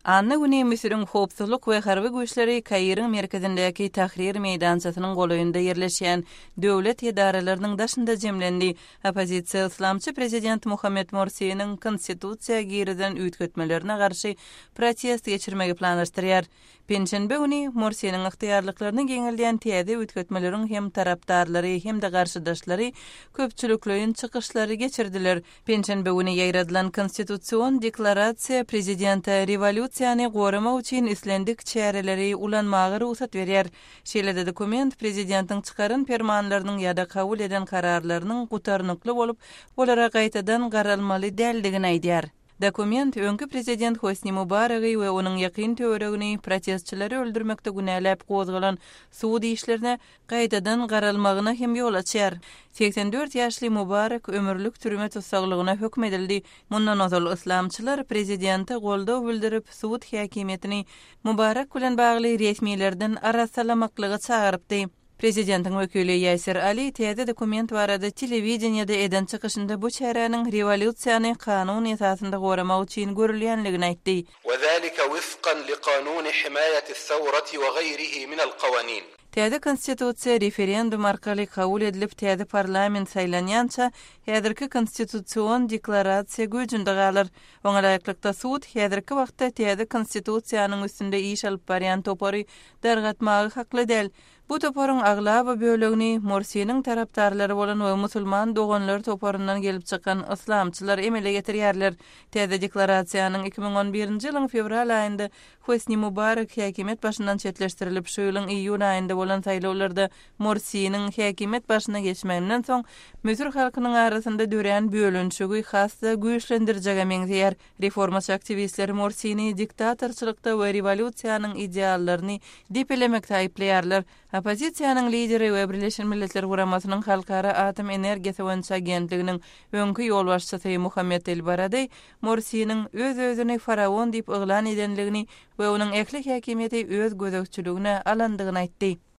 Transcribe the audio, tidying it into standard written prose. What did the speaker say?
Anna güni Müsüriň howpsuzlyk we harby güýçleri Kairiň merkezindäki Tahrir meýdançasynyň golaýynda ýerleşýän döwlet edaralarynyň daşynda jemlendi. Oppozisiýa yslamçy prezident Muhammed Morsiniň konstitusiýa girizen üýtgetmelerine garşy protest geçirmegi planlaşdyrýar. Penşenbe güni Morsiniň ygtyýarlyklaryny giňeldýän täze üýtgetmeleriň hem tarapdarlary, hem-de garşydaşlary köpçülikleýin çykyşlary geçirdiler. Penşenbe güni ýaýradylan Konstitusion deklarasiýa prezidente rewolýusiýany goramak üçin islendik çäreleri ulanmaga rugsat berýär. Şeýle-de dokument prezidentiň çykaran permanlarynyň ýa-da kabul eden kararlarynyň gutarnykly bolup, olara gaýtadan garalmaly däldigini aýdýar. Dokument öňki prezident Hosni Mubaragy we onuň ýakyn töweregini protestçileri öldürmekde günäläp gozgalan sud işlerine gaýtadan garalmagyna hem ýol açýar. 84 ýaşly Mubarek ömürlik türme tussaglygyna höküm edildi. Mundan ozal yslamçylar prezidente goldaw bildirip, sud häkimiýetini Mubarek bilen bagly resmilerden arassalamaklyga çagyrypdy. Prezidentiň wekili Ýaser Ali täze dokument barada telewideniýede eden çykyşynda bu çäräniň rewolýusiýany kanun esasynda goramak üçin görülýänligini aýtdy. وذلك وفقا لقانون حماية الثورة وغيره من القوانين. Täze Konstitusiýa referendum arkaly kabul edilip, täze parlament saýlanýança, häzirki Konstitusion deklarasiýa güýjünde galar. Oňa laýyklykda, sud häzirki wagtda täze Konstitusiýanyň üstünde iş alyp barýan topary dargatmaga hakly däl. Bu toparyň aglaba bölegini Morsiniň tarapdarlary bolan we Musulman doganlar toparyndan gelip çykan yslamçylar emele getirýärler. Täze deklarasiýanyň 2011-nji ýylyň fewral aýynda Hosni Mubarek häkimiýet başyndan çetleşdirilip, şu ýylyň iýun aýynda bolan saýlawlarda Morsiniň häkimiýet başyna geçmeginden soň müsür halkynyň arasynda dörän bölünişigi has-da güýçlendirjege meňzeýär. Reformaçy aktiwistler Morsini diktatorçylykda we rewolýusiýanyň ideallaryny depelemekde aýyplaýarlar. Oppozisiýanyň lideri we Birleşen Milletler Guramasynyň Halkara atom energiýasy boýunça agentliginiň öňki ýolbaşçysy Muhammet El-Baradeý Morsiniň öz-özüni faraon diýip yglan edenligini we onuň ähli häkimiýeti öz gözegçiligine alandygyny aýtdy.